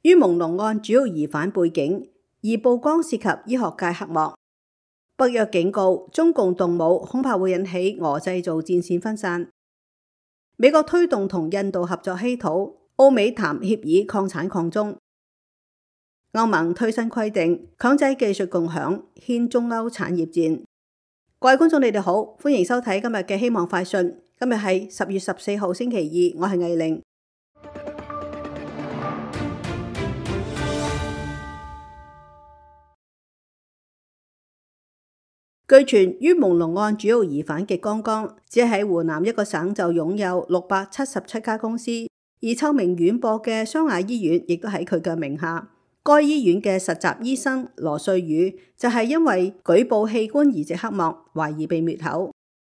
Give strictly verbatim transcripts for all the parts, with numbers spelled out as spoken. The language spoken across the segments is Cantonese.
於朦朧案主要疑犯背景，而曝光涉及醫學界黑幕。北約警告，中共動武恐怕會引起俄製造戰線分散。美國推動同印度合作稀土，澳美談協議擴產擴中。歐盟推新規定，強制技術共享，掀中歐產業戰。各位觀眾，你哋好，歡迎收睇今日嘅希望快訊。今日係十月十四號星期二，我係魏玲。據傳，於朦朧案主要疑犯極光光，只喺湖南一個省就擁有六百七十七家公司，而臭名遠播嘅湘雅醫院亦都喺佢嘅名下。該醫院嘅實習醫生羅瑞宇就係因為舉報器官移植黑幕，懷疑被滅口。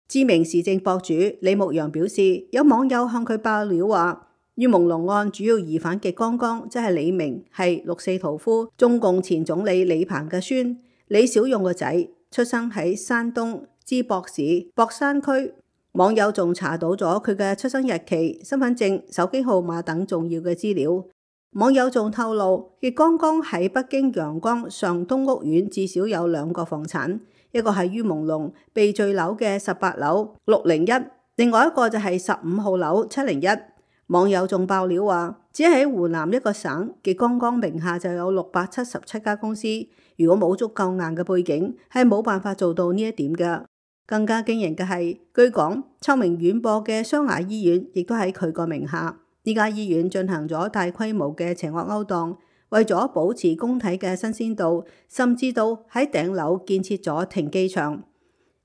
知名時政博主李牧陽表示，有網友向佢爆料話，於朦朧案主要疑犯極光光，即係李明，係六四屠夫中共前總理李鵬嘅孫，李小勇個仔。出生喺山東淄博市博山區，網友仲查到咗佢嘅出生日期、身份證、手機號碼等重要嘅資料。網友仲透露，極光光喺北京陽光上東屋苑至少有兩個房產，一個係於朦朧被墜樓嘅十八樓六零一，另外一個就係十五號樓七零一。網友仲爆料話，只喺湖南一個省，極光光名下就有六百七十七家公司。如果冇足夠硬嘅背景，係冇辦法做到呢一點嘅。更加驚人嘅係，據講臭名遠播嘅湘雅醫院亦都喺佢個名下。呢家醫院進行咗大規模嘅邪惡勾當，為咗保持工體嘅新鮮度，甚至到喺頂樓建設咗停機場。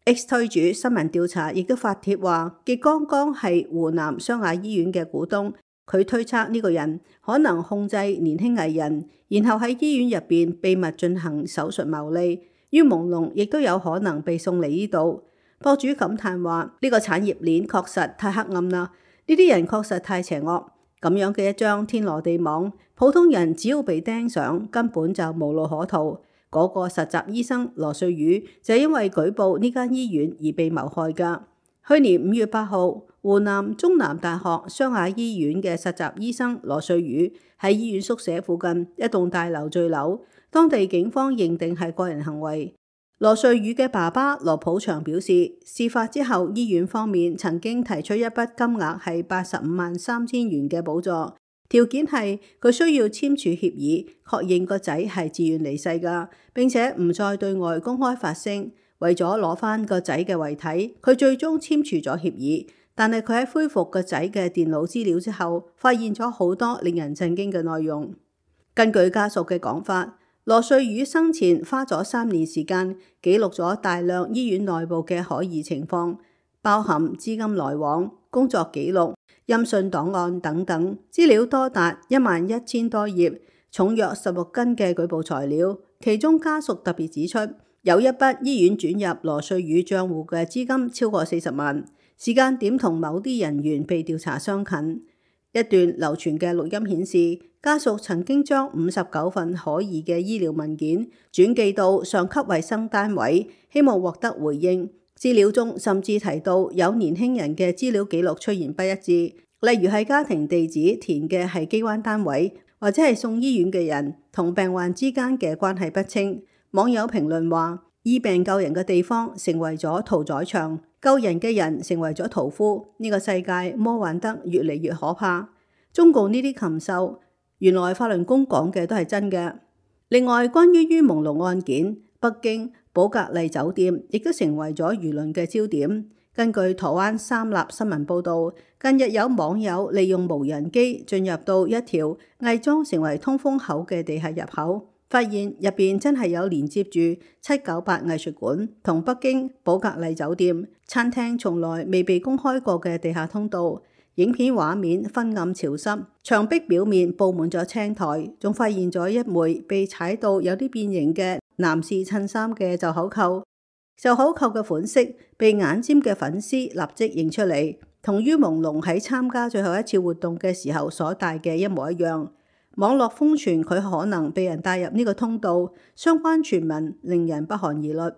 X 推主新聞調查亦都發帖話，極光光係湖南湘雅醫院嘅股東。佢推測呢個人可能控制年輕藝人，然後喺醫院入邊秘密進行手術牟利。於朦朧亦都有可能被送嚟呢度。博主感嘆話：呢個產業鏈確實太黑暗啦，呢啲人確實太邪惡。咁樣嘅一張天羅地網，普通人只要被盯上，根本就無路可逃。嗰個實習醫生羅瑞宇就因為舉報呢間醫院而被謀害㗎。去年五月八號，湖南中南大學湘雅醫院嘅實習醫生羅瑞宇喺醫院宿舍附近一棟大樓墜樓，當地警方認定係個人行為。羅瑞宇嘅爸爸羅普祥表示，事發之後，醫院方面曾經提出一筆金額係八十五萬三千元嘅補助，條件係佢需要簽署協議，確認個仔係自願離世㗎，並且唔再對外公開發聲。為咗攞翻個仔嘅遺體，佢最終簽署咗協議。但係佢喺恢復個仔嘅電腦資料之後，發現咗好多令人震驚嘅內容。根據家屬嘅講法，羅瑞宇生前花咗三年時間記錄咗大量醫院內部嘅可疑情況，包含資金來往、工作記錄、音訊檔案等等，資料多達一萬一千多頁，重約十六斤嘅舉報材料。其中家屬特別指出，有一筆醫院轉入羅瑞宇賬戶嘅資金超過四十萬，時間點同某啲人員被調查相近。一段流傳嘅錄音顯示，家屬曾經將五十九份可疑嘅醫療文件轉寄到上級衛生單位，希望獲得回應。資料中甚至提到有年輕人嘅資料記錄出現不一致，例如係家庭地址填嘅係機關單位，或者係送醫院嘅人同病患之間嘅關係不清。網友評論話，醫病救人嘅地方成為咗屠宰場，救人嘅人成為咗屠夫。呢個世界魔幻得越嚟越可怕。中共呢啲禽獸，原來法輪功講嘅都係真嘅。另外，關於於朦朧案件，北京寶格麗酒店亦都成為咗輿論嘅焦點。根據台灣三立新聞報道，近日有網友利用無人機進入到一條偽裝成為通風口嘅地下入口，發現入邊真係有連接住七九八藝術館同北京寶格麗酒店餐廳從來未被公開過嘅地下通道。影片畫面昏暗潮濕，牆壁表面佈滿咗青苔，仲發現咗一枚被踩到有啲變形嘅男士襯衫嘅袖口扣。袖口扣嘅款式被眼尖嘅粉絲立即認出嚟，同於朦朧喺參加最後一次活動嘅時候所戴嘅一模一樣。網絡瘋傳佢可能被人帶入呢個通道，相關傳聞令人不寒而慄。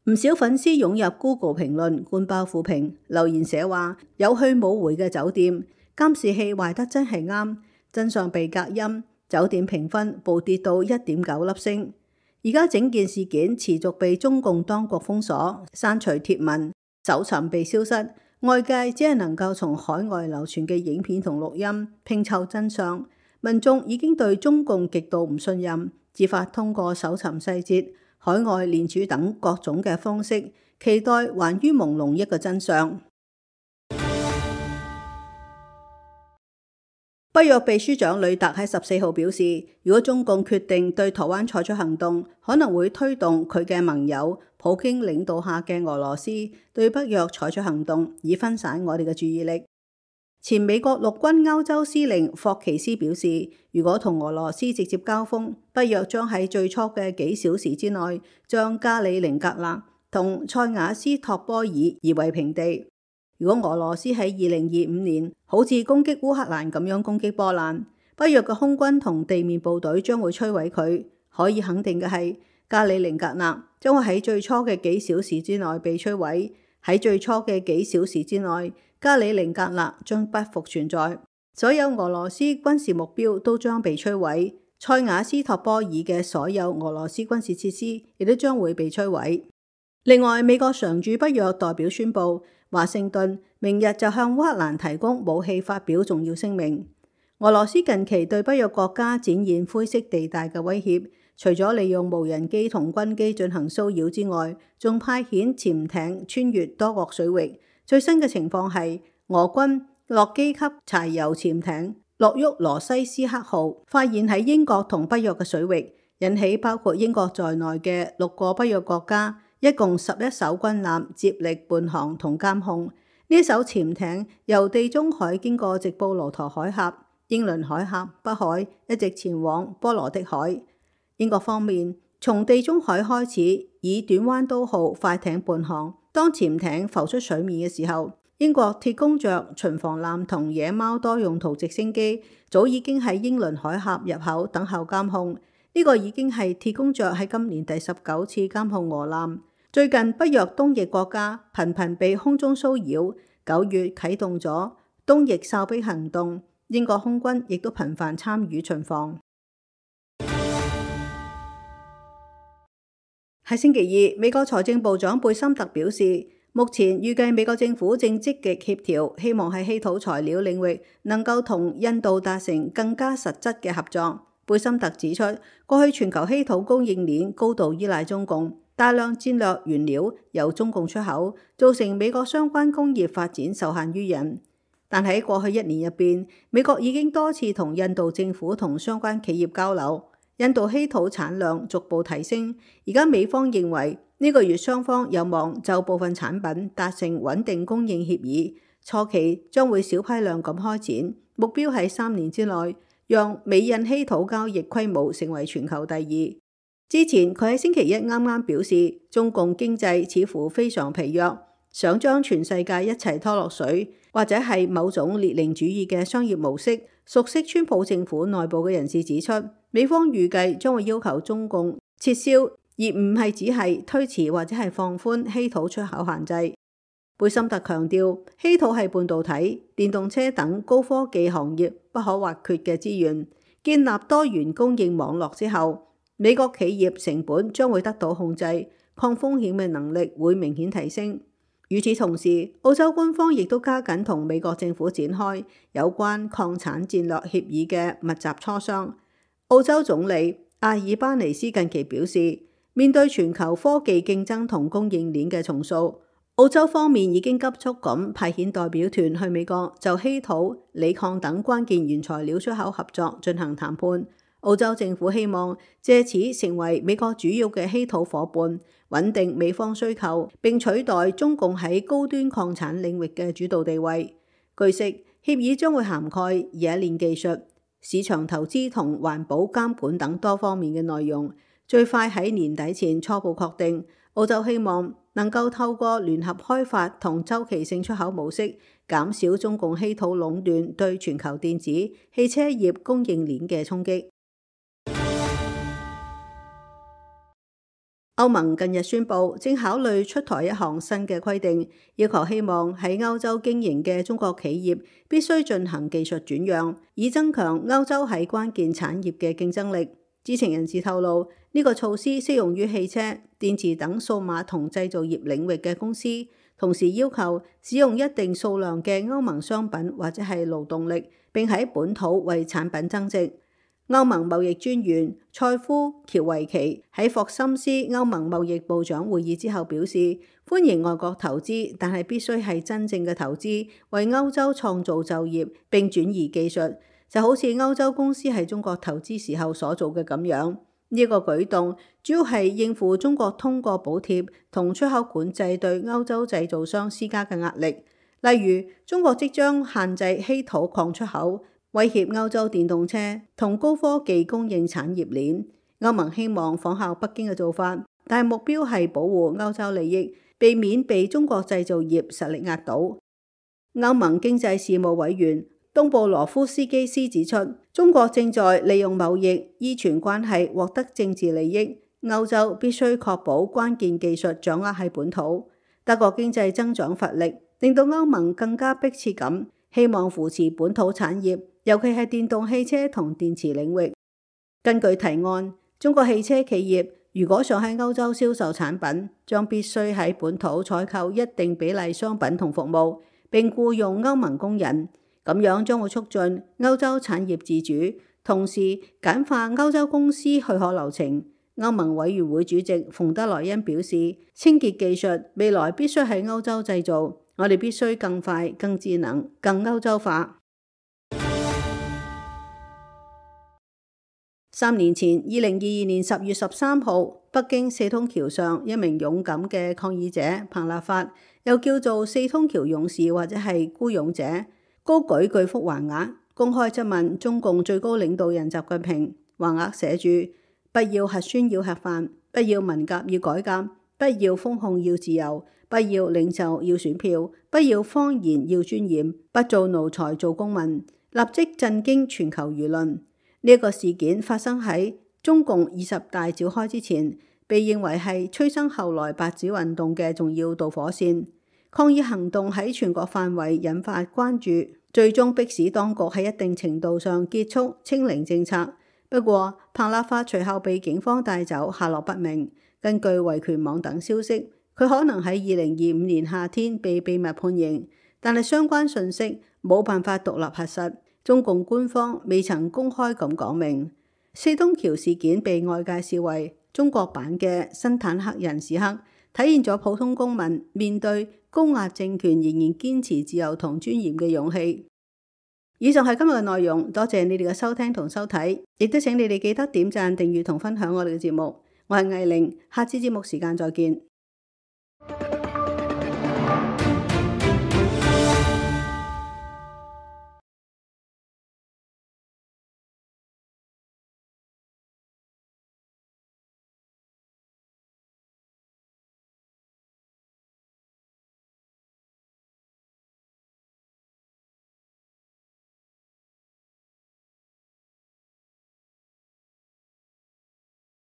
唔少粉絲湧入 Google 評論灌爆負評，留言寫話有去冇回嘅酒店，監視器壞得真係啱，真相被隔音，酒店評分暴跌到一點九粒星。而家整件事件持續被中共當局封鎖、刪除貼文、搜尋被消失，外界只係能夠從海外流傳嘅影片同錄音拼湊真相。民眾已經對中共極度唔信任，自發通過搜尋細節、海外聯署等各種嘅方式，期待還於朦朧一個真相。北約秘書長呂特喺十四號表示，如果中共決定對台灣採取行動，可能會推動佢嘅盟友普京領導下嘅俄羅斯對北約採取行動，以分散我哋嘅注意力。前美國陸軍歐洲司令霍奇斯表示，如果同俄羅斯直接交鋒，北約將喺最初嘅幾小時之內將加里寧格勒同塞瓦斯托波爾夷為平地。如果俄羅斯喺二零二五年好似攻擊烏克蘭咁樣攻擊波蘭，北約嘅空軍同地面部隊將會摧毀佢。可以肯定嘅係，加里寧格勒將會喺最初嘅幾小時之內被摧毀。喺最初嘅幾小時之內，加里寧格勒將不復存在，所有俄羅斯軍事目標都將被摧毀。塞瓦斯托波爾嘅所有俄羅斯軍事設施亦都將會被摧毀。另外，美國常駐北約代表宣布，華盛頓明日就向烏克蘭提供武器發表重要聲明。俄羅斯近期對北約國家展現灰色地帶嘅威脅，除咗利用無人機同軍機進行騷擾之外，仲派遣潛艇穿越多國水域。最新嘅情況係，俄軍洛基級柴油潛艇諾沃羅西斯克號發現喺英國同北約嘅水域，引起包括英國在內嘅六個北約國家一共十一艘軍艦接力伴航同監控。呢艘潛艇由地中海經過直布羅陀海峽、英倫海峽、北海，一直前往波羅的海。英國方面從地中海開始以短彎刀號快艇伴航。當潛艇浮出水面嘅時候，英國鐵公爵巡防艦同野貓多用途直升機早已經喺英倫海峽入口等候監控。呢個已經係鐵公爵喺今年第十九次監控俄艦。最近北約東翼國家頻頻被空中騷擾，九月啟動咗東翼哨兵行動，英國空軍亦都頻繁參與巡防。喺星期二，美國財政部長貝森特表示，目前預計美國政府正積極協調，希望喺稀土材料領域能夠同印度達成更加實質嘅合作。貝森特指出，過去全球稀土供應鏈高度依賴中共，大量戰略原料由中共出口，造成美國相關工業發展受限於人。但喺過去一年入邊，美國已經多次同印度政府同相關企業交流，印度稀土產量逐步提升。而家美方認為呢個月雙方有望就部分產品達成穩定供應協議，初期將會小批量咁開展，目標係三年之內讓美印稀土交易規模成為全球第二。之前佢喺星期一啱啱表示，中共經濟似乎非常疲弱，想將全世界一齊拖落水，或者係某種列寧主義嘅商業模式。熟悉川普政府內部嘅人士指出，美方預計將會要求中共撤銷，而唔係只係推遲或者係放寬稀土出口限制。貝森特強調，稀土係半導體、電動車等高科技行業不可或缺嘅資源。建立多元供應網絡之後，美國企業成本將會得到控制，抗風險嘅能力會明顯提升。與此同時，澳洲官方亦都加緊同美國政府展開有關礦產戰略協議嘅密集磋商。澳洲總理阿爾巴尼斯近期表示，面對全球科技競爭同供應鏈嘅重塑，澳洲方面已經急速咁派遣代表團去美國就稀土、鋰礦等關鍵原材料出口合作進行談判。澳洲政府希望借此成為美國主要嘅稀土夥伴，穩定美方需求，並取代中共喺高端礦產領域嘅主導地位。據悉，協議將會涵蓋冶煉技術、市場投資同環保監管等多方面嘅內容，最快喺年底前初步確定。澳洲希望能夠透過聯合開發同周期性出口模式，減少中共稀土壟斷對全球電子、汽車業供應鏈嘅衝擊。歐盟近日宣布，正考慮出台一項新嘅規定，要求希望喺歐洲經營嘅中國企業必須進行技術轉讓，以增強歐洲喺關鍵產業嘅競爭力。知情人士透露，呢個措施適用於汽車、電池等數碼同製造業領域嘅公司，同時要求使用一定數量嘅歐盟商品或者係勞動力，並喺本土為產品增值。歐盟貿易專員塞夫喬維奇喺霍森斯歐盟貿易部長會議之後表示，歡迎外國投資，但係必須係真正嘅投資，為歐洲創造就業並轉移技術，就好似歐洲公司喺中國投資時候所做嘅咁樣。呢個舉動主要係應付中國通過補貼同出口管制對歐洲製造商施加嘅壓力，例如中國即將限制稀土礦出口，威脅歐洲電動車同高科技供應產業鏈。歐盟希望仿效北京嘅做法，但係目標係保護歐洲利益，避免被中國製造業實力壓倒。歐盟經濟事務委員東布羅夫斯基斯指出，中國正在利用貿易依存關係獲得政治利益，歐洲必須確保關鍵技術掌握喺本土。德國經濟增長乏力，令到歐盟更加迫切咁希望扶持本土產業，尤其係電動汽車同電池領域。根據提案，中國汽車企業如果想喺歐洲銷售產品，將必須喺本土採購一定比例商品同服務，並僱用歐盟工人。咁樣將會促進歐洲產業自主，同時簡化歐洲公司許可流程。歐盟委員會主席馮德萊恩表示，清潔技術未來必須喺歐洲製造，我哋必須更快、更智能、更歐洲化。三年前，二零二二年十月十三號，北京四通橋上一名勇敢嘅抗議者彭立發，又叫做四通橋勇士或者係孤勇者，高舉巨幅橫額，公開質問中共最高領導人習近平。橫額寫住：不要核酸要吃飯，不要文革要改革，不要封控要自由，不要領袖要選票，不要謊言要尊嚴，不做奴才做公民，立即震驚全球輿論。呢、這、一個事件發生喺中共二十大召開之前，被認為係催生後來白紙運動嘅重要導火線。抗議行動喺全國範圍引發關注，最終迫使當局喺一定程度上結束清零政策。不過，彭立發隨後被警方帶走，下落不明。根據維權網等消息，佢可能喺二零二五年夏天被秘密判刑，但係相關信息冇辦法獨立核實。中共官方未曾公開咁講明。四通橋事件被外界視為中國版嘅新坦克人時刻，體現咗普通公民面對高壓政權仍然堅持自由同尊嚴嘅勇氣。以上係今日嘅內容，多謝你哋嘅收聽同收睇，亦都請你哋記得點讚、訂閱同分享我哋嘅節目。我係藝玲，下次節目時間再見。